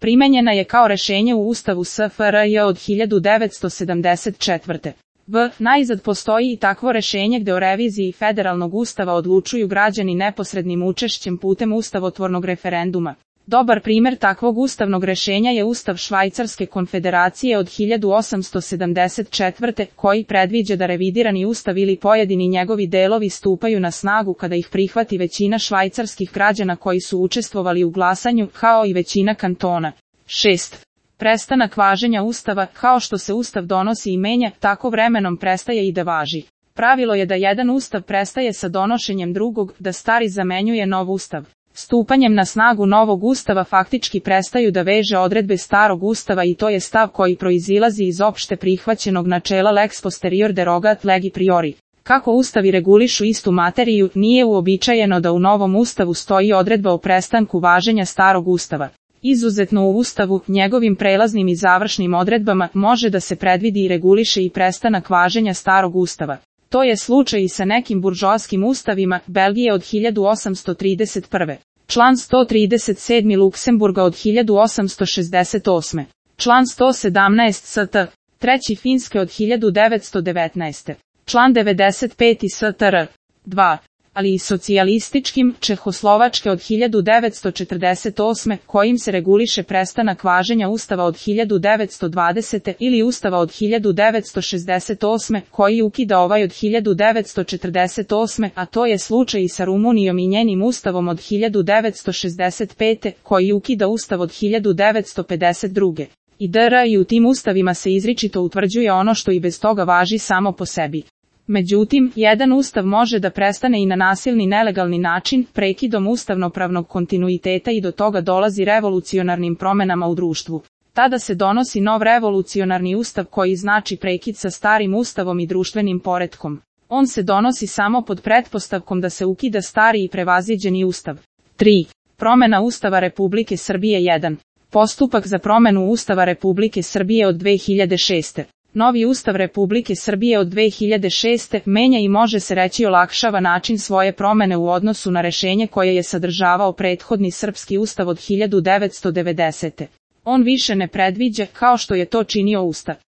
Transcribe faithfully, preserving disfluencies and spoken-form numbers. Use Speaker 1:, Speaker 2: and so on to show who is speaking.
Speaker 1: Primenjena je kao rešenje u Ustavu S F R J od hiljadu devetsto sedamdeset četvrte. V. Najzad postoji i takvo rešenje gde o reviziji federalnog ustava odlučuju građani neposrednim učešćem putem ustavotvornog referenduma. Dobar primer takvog ustavnog rešenja je Ustav Švajcarske konfederacije od hiljadu osamsto sedamdeset četvrte. koji predviđa da revidirani ustav ili pojedini njegovi delovi stupaju na snagu kada ih prihvati većina švajcarskih građana koji su učestvovali u glasanju, kao i većina kantona. šest. Prestanak važenja Ustava. Kao što se Ustav donosi i menja, tako vremenom prestaje i da važi. Pravilo je da jedan Ustav prestaje sa donošenjem drugog, da stari zamenjuje nov Ustav. Stupanjem na snagu novog Ustava faktički prestaju da veže odredbe starog Ustava i to je stav koji proizilazi iz opšte prihvaćenog načela lex posterior derogat legi priori. Kako ustavi regulišu istu materiju, nije uobičajeno da u novom Ustavu stoji odredba o prestanku važenja starog Ustava. Izuzetno u Ustavu, njegovim prelaznim i završnim odredbama, može da se predvidi i reguliše i prestanak važenja starog Ustava. To je slučaj i sa nekim buržoaskim ustavima Belgije od hiljadu osamsto trideset prve. Član sto trideset sedam Luksemburga od hiljadu osamsto šezdeset osme. Član sto sedamnaest S T. Treći Finske od hiljadu devetsto devetnaeste. Član devedeset pet S T R. dva. Ali i socijalističkim, Čehoslovačke od hiljadu devetsto četrdeset osme. kojim se reguliše prestanak važenja Ustava od hiljadu devetsto dvadesete. ili Ustava od hiljadu devetsto šezdeset osme. koji ukida ovaj od hiljadu devetsto četrdeset osme. a to je slučaj i sa Rumunijom i njenim Ustavom od hiljadu devetsto šezdeset pete. koji ukida Ustav od hiljadu devetsto pedeset druge. I D R i u tim ustavima se izričito utvrđuje ono što i bez toga važi samo po sebi. Međutim, jedan ustav može da prestane i na nasilni nelegalni način, prekidom ustavnopravnog kontinuiteta i do toga dolazi revolucionarnim promenama u društvu. Tada se donosi nov revolucionarni ustav koji znači prekid sa starim ustavom i društvenim poretkom. On se donosi samo pod pretpostavkom da se ukida stari i prevaziđeni ustav. tri. Promena Ustava Republike Srbije jedan. Postupak za promenu Ustava Republike Srbije od dve hiljade šeste. Novi Ustav Republike Srbije od dve hiljade šeste. menja i može se reći olakšava način svoje promene u odnosu na rešenje koje je sadržavao prethodni srpski ustav od hiljadu devetsto devedesete. On više ne predviđa, kao što je to činio Ustav